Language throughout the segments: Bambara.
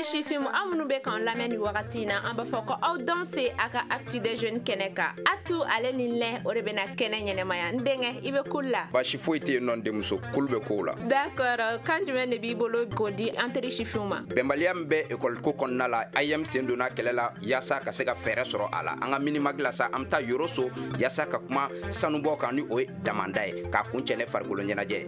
Teri sifin, aw minnu bɛ k'an lamɛn ni wagati in na, an b'a fɔ ko aw danse a ka Actu des Jeunes kɛnɛ kan. Atu ale ni lɛ, o de bɛna kɛnɛ ɲɛnɛmaya. N denkɛ, i bɛ kul la? Baasi foyi tɛ yen nɔ, n denmuso, kulu bɛ kow la. D'accord, kan jumɛn de b'i bolo k'o di an teri sifinw ma? Bɛnbaliya min bɛ ekɔli ko kɔnɔna la, AEEM sen donna kɛlɛ la yaasa ka se ka fɛɛrɛ sɔrɔ a la. An ka Minimag la sa, an bɛ taa Yoroso yaasa ka kuma sanubɔ kan, ni o ye damanda ye, k'a kuncɛ ne farikolo ɲɛnajɛ.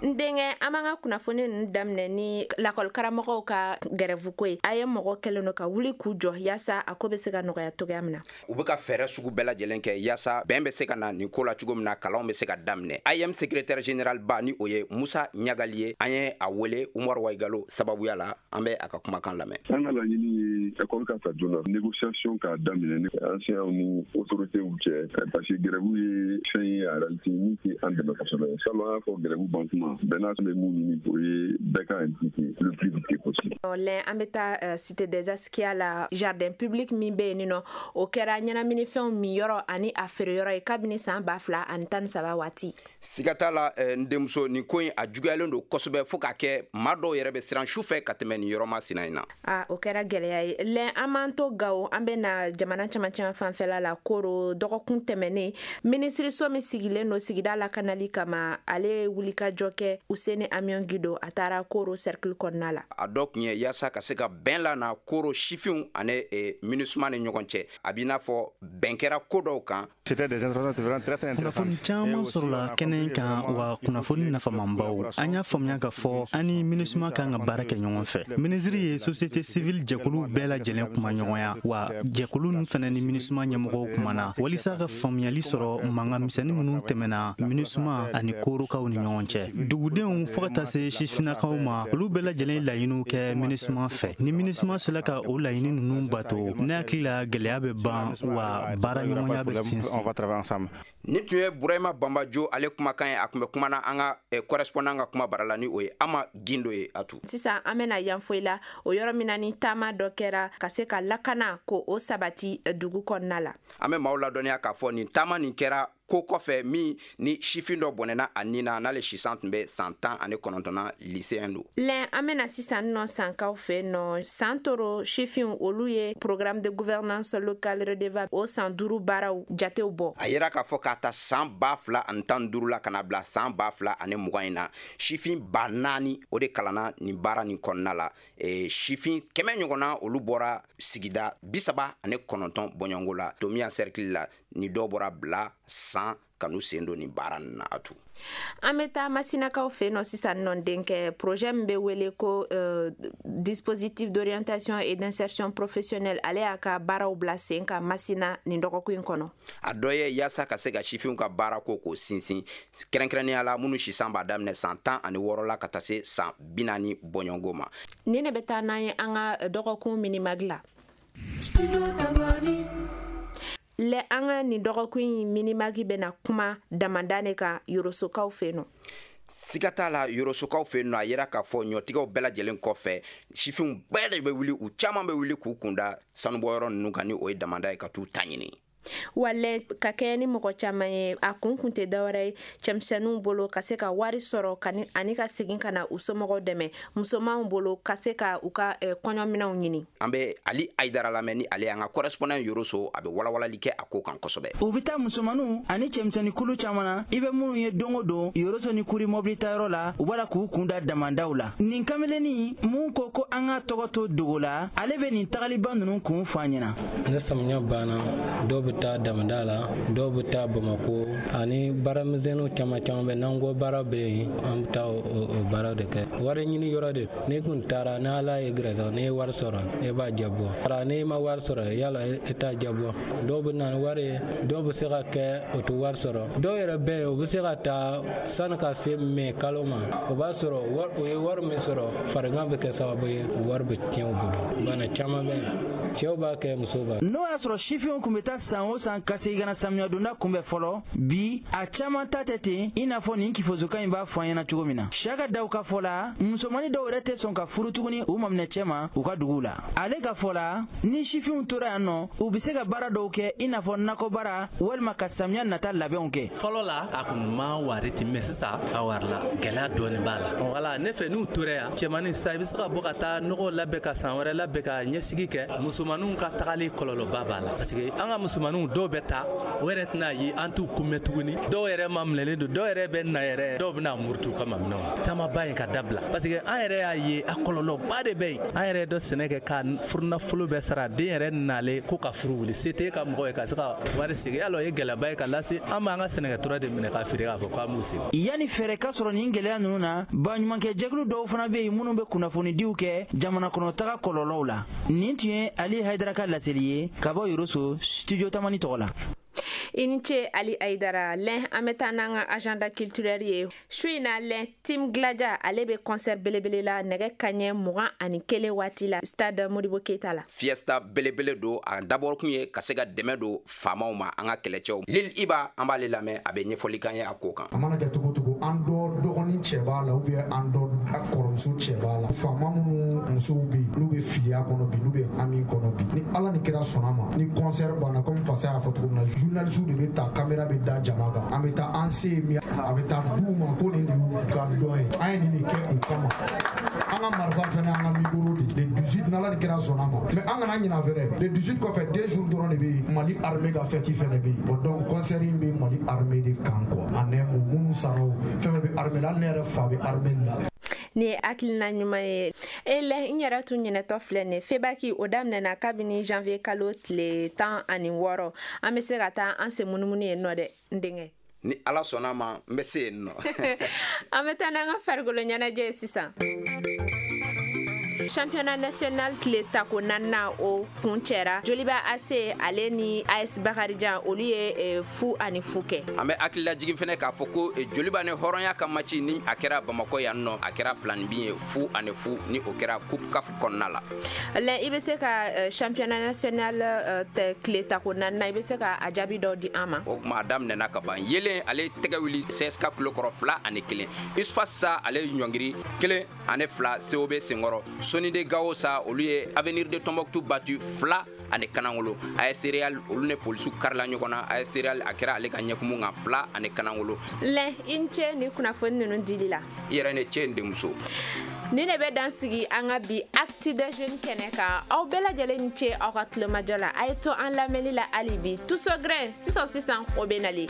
N denkɛ, an b'an ka kunnafoni ninnu daminɛ ni lakɔlikaramɔgɔw ka gɛrɛfu ko ye. A ye mɔgɔ kɛlen don ka wuli k'u jɔ yaasa a ko bɛ se ka nɔgɔya cogoya min na. U bɛ ka fɛɛrɛ sugu bɛɛ lajɛlen kɛ yaasa bɛn bɛ se ka na nin ko la cogo min na, kalanw bɛ se ka daminɛ. AEEM secrétaire général ba, ni o ye Musa Ɲagali ye, an ye a wele Umaru Waigalo sababuya la. An bɛ a ka kumakan lamɛn. An ka laɲini ye école ka ta joona, négociation k'a daminɛ ni enseignants ni autorités cɛ, parce que grève ye fɛn ye en réalité min tɛ an dɛmɛ kosɛbɛ. Salon, an y'a fɔ grève ban kuma bɛɛ n'a bɛ mun ɲini, o ye bɛɛ ka impliqué le plus vite possible. Lɛn, an bɛ taa Cité des Askia la, jardin public min bɛ yen nɔ, o kɛra ɲɛnaminifɛnw min yɔrɔ ani a feere yɔrɔ ye kabini san 2013 waati. Siga t'a la, n denmuso, nin ko in a juguyalen don kosɛbɛ, fo k'a kɛ maa dɔw yɛrɛ bɛ siran su fɛ ka tɛmɛ nin yɔrɔ masina in na. A o kɛra gɛlɛya ye. Lɛn, an b'an to Gawo, an bɛ na jamana camancɛ fanfɛla la. Koro, dɔgɔkun tɛmɛnen, minisiriso min sigilen don sigida lakanali kama, ale ye wulikajɔ kɛ. Useni Amiɔn Gido, a taara Koro cercle kɔnɔna la. A dɔ tun ye yaasa ka se ka bɛn la na Koro sifinw ani MINUSMA ni ɲɔgɔn cɛ. A b'i n'a fɔ bɛn kɛra ko dɔw kan. Kunnafoni caman sɔrɔla kɛnɛ kan wa, kunnafoni nafamanbaw. An y'a faamuya ka fɔ an ni MINUSMA kan ka baara kɛ ɲɔgɔn fɛ. Minisiri ye société civile jɛkulu bɛɛ lajɛlen kuma ɲɔgɔnya wa, jɛkulu ninnu fana ni MINUSMA ɲɛmɔgɔw kumana walisa ka faamuyali sɔrɔ mankan misɛnnin minnu tɛmɛna MINUSMA ani korokaw ni ɲɔgɔn cɛ. Dugudenw fo ka taa se sifinnakaw ma, olu bɛɛ lajɛlen laɲiniw kɛ MINUSMA fɛ. Ni MINUSMA sera ka o laɲini ninnu bato, ne hakili la, gɛlɛya bɛ ban wa, baara ɲɔgɔnya bɛ sinsin. Nin tun ye Burahima Banbajo ale kumakan ye. A tun bɛ kumana an ka correspondant ka kuma bara la, ni o ye Ama Gindo ye, Atu. Sisan an bɛna Yanfoyila, o yɔrɔ min na ni taama dɔ kɛra ka se ka lakana ko o sabati dugu kɔnɔna la. An bɛ maaw ladɔnniya k'a fɔ nin taama nin kɛra ko kɔfɛ min ni sifin dɔ bɔnɛna a nin na, n'ale sisan tun bɛ san 19 na, lycéen don. Lɛn, an bɛna sisan nɔ Sankaw fɛ nɔ. Santoro sifinw, olu ye programme de gouvernance locale redevable o san 5 baaraw jatew bɔ. A yera k'a fɔ k'a ta san 2015 la ka na bila san 2020 in na, sifin 4000 o de kalanna nin baara nin kɔnɔna la. Sifin 100 ɲɔgɔnna, olu bɔra sigida 39 bɔɲɔgɔnko la Tomiya cercle la, ni dɔw bɔra bila san ka n'u sen don nin baara nin na, Atu. An bɛ taa Masinakaw fɛ nɔ sisan nɔ, denkɛ. Projet min bɛ wele ko dispositif d'orientation et d'insertion professionnelle, ale y'a ka baaraw bila sen kan Masina nin dɔgɔkun in kɔnɔ. A dɔ ye yaasa ka se ka sifinw ka baara ko k'o sinsin, kɛrɛnkɛrɛnnenya la minnu sisan b'a daminɛ san 16 la ka taa se san 40 bɔɲɔgɔnko ma. Nin de bɛ taa n'an ye an ka dɔgɔkun Minimag la. Lɛ, an ka nin dɔgɔkun in Minimag bɛna kuma damanda de kan Yorosokaw fɛ nɔ. Siga t'a la, Yorosokaw fɛ nɔ, a yera k'a fɔ ɲɔtigɛw bɛɛ lajɛlen kɔfɛ, sifinw bɛɛ de bɛ wuli, u caman bɛ wuli k'u kunda sanubɔyɔrɔ ninnu kan, ni o ye damanda ye, ka t'u ta ɲini. Walɛ, ka kɛ ni mɔgɔ caman ye, a kun kun tɛ dɔwɛrɛ ye cɛmisɛnninw bolo ka se ka wari sɔrɔ ani ka segin ka na u somɔgɔw dɛmɛ, musomanw bolo ka se ka u ka kɔɲɔminɛnw ɲini. An bɛ Ali Ayidara lamɛn, ni ale y'an ka correspondant Yoroso. A bɛ walawalali kɛ a ko kan kosɛbɛ. U bɛ taa musomaninw ani cɛmisɛnnin kulu caman na, i bɛ minnu ye don o don Yoroso ni Kuri mɔbili tayɔrɔ la, u b'a la k'u kun da damandaw la. Nin kamelennin mun ko ko an ka tɔgɔ to dogo la, ale bɛ nin tagaliba ninnu kun fɔ an ɲɛna. Ni samiya banna, dɔw bɛ taa damanda la, dɔw bɛ taa Bamako, ani baaramisɛnninw caman caman bɛ n'an ko baara bɛ yen, an bɛ taa o baara de kɛ. Wari ɲini yɔrɔ de, n'i kun taara, ni Ala ye gɛrɛsɛgɛ, n'i ye wari sɔrɔ, e b'a jabɔ. N'i ma wari sɔrɔ, yala e t'a jabɔ. Dɔw bɛ na ni wari ye, dɔw bɛ se ka kɛ o tɛ wari sɔrɔ. Dɔw yɛrɛ bɛ yen, u bɛ se ka taa sani ka se mɛ kalo ma, o b'a sɔrɔ u ye wari min sɔrɔ, farigan bɛ kɛ sababu ye wari bɛ tiɲɛ u bolo. Bana caman bɛ yen. Cɛw b'a kɛ, musow b'a. N'o y'a sɔrɔ sifinw kun bɛ taa san o san ka segin ka na samiyɛdonda kunbɛn fɔlɔ, bi a caman ta tɛ ten, i n'a fɔ nin kifosokan in b'a fɔ an ɲɛna cogo min na. Siyaka Daw ka fɔ la, musomannin dɔw yɛrɛ tɛ sɔn ka furu tuguni u maminɛ cɛ ma u ka duguw la. Ale ka fɔ la, ni sifinw tora yan nɔ, u bɛ se ka baara dɔw kɛ, i n'a fɔ nakɔbaara walima ka samiya nata labɛnw kɛ. Fɔlɔ la, a kun ma wari ten, mais sisan a warila, gɛlɛya dɔɔni b'a la. Wala ne fɛ, n'u tora yan, cɛmannin sisan, i bɛ se ka bɔ ka taa nɔgɔ labɛn, ka san wɛrɛ labɛn, ka ɲɛsigi kɛ. Musomaninw ka tagali, kɔlɔlɔba b'a la, parce que an ka musomaninw dɔw bɛ taa, o yɛrɛ tɛna ye, an t'u kunbɛn tuguni. Dɔw yɛrɛ ma minɛlen don, dɔw yɛrɛ bɛ na yɛrɛ, dɔw bɛna murutu u ka maminɛw taamaba in ka dabila, parce que an yɛrɛ y'a ye, a kɔlɔlɔba de bɛ yen. An yɛrɛ dɔ sɛnɛ kɛ ka furunafolo bɛɛ sara, den yɛrɛ nalen ko ka furu wuli, se tɛ ka mɔgɔ ye ka se ka wari segin. Yala o ye gɛlɛyaba ye ka lase an b'an ka sɛnɛkɛtura de minɛ ka feere k'a fɔ k'an b'u segin. Yanni fɛɛrɛ ka sɔrɔ nin gɛlɛya ninnu na, baɲumankɛ jɛkulu dɔw fana bɛ yen minnu bɛ kunnafonidiw kɛ jamana kɔnɔtaga kɔlɔlɔw la. Nin tun ye Ali Hayidara ka laseli ye ka bɔ Yoroso, Studio Tamani tɔgɔ la. I ni ce, Ali Ayidara. Lɛn, an bɛ taa n'an ka agenda culturel ye su in na. Lɛn, Team Gladia, ale bɛ concert belebele la nɛgɛ kaɲɛ 21 waati la, stade Modibo Keyita la. Fiesta belebele don. A dabɔ kun ye ka se ka dɛmɛ don faamaw ma, an ka kɛlɛcɛw. Lil Iba, an b'ale lamɛn, a bɛ ɲɛfɔli kan ye a ko kan. A mana kɛ cogo cogo, an dɔ dɔgɔnin cɛ b'a la ou bien an dɔ kɔrɔmuso cɛ b'a la. Faama minnu musow bɛ yen, n'u bɛ filiya kɔnɔ bi, n'u bɛ hami kɔnɔ bi, ni Ala ni kira sɔnna ma, ni concert banna, komi fasa y'a fɔ cogo min na, journaliste de bɛ ta, caméra bɛ da jama kan, an bɛ taa an se ye min, a bɛ taa d'u ma ko nin de y'u ka dɔn ye, an ye nin de kɛ u kama. An ka marifa fɛnɛ, an ka micro de. Le 18, n'Ala ni kira sɔnna ma, mais an kana ɲina fɛnɛ, le 18 kɔfɛ, 2 jours dɔrɔn de bɛ yen, Mali armée ka fête fɛnɛ bɛ yen. Bon, donc concert in bɛ Mali armée de kan quoi, en un mot, minnu sara o, fɛn fɛn bɛ armée la, hali ne yɛrɛ fa bɛ armée la. Nin ye hakilina ɲuman ye. E lɛ, n yɛrɛ tun ɲinɛtɔ filɛ nin febaki, o daminɛna kabini janvier kalo tile 16. An bɛ se ka taa an sen munumunu yen nɔ dɛ, n denkɛ. Ni Ala sɔnna ma, n bɛ se yen nɔ. An bɛ taa n'an ka farikolo ɲɛnajɛ ye sisan. Championnat national tile tako naaninan, o kun cɛra. Joliba AC, ale ni AS Bakarijan, olu ye 0-0 kɛ. An bɛ hakililajigin fɛnɛ k'a fɔ ko Joliba ni Hɔrɔnya ka match ni a kɛra Bamakɔ yan nɔ, a kɛra filanin ye, 0-0, ni o kɛra Coupe CAF kɔnɔna la. Lɛ, i bɛ se ka championnat national tile tako naaninan, i bɛ se ka a jaabi dɔw di an ma? O tuma, a daminɛna ka ban. Yelen, ale tɛgɛ wuli CSK kulo kɔrɔ, 2-1. USFAS sa, ale ɲɔngiri 1-2 COB senkɔrɔ. Sonide Gawo sa, olu ye Avenir de Tombouctou battu 2-0. AS Real, olu ni polisiw karila ɲɔgɔn na. AS Real, a kɛra ale ka ɲɛkumu kan, 2-0. Lɛ, i ni ce ni kunnafoni ninnu dili la. I yɛrɛ ne ce, n denmuso. Ni ne bɛ dan sigi an ka bi Actu des Jeunes kɛnɛ kan. Aw bɛɛ lajɛlen ni ce aw ka tulomajɔ la. A ye to an lamɛnni la hali bi. Tuso Grain, sisan sisan, o bɛ nalen.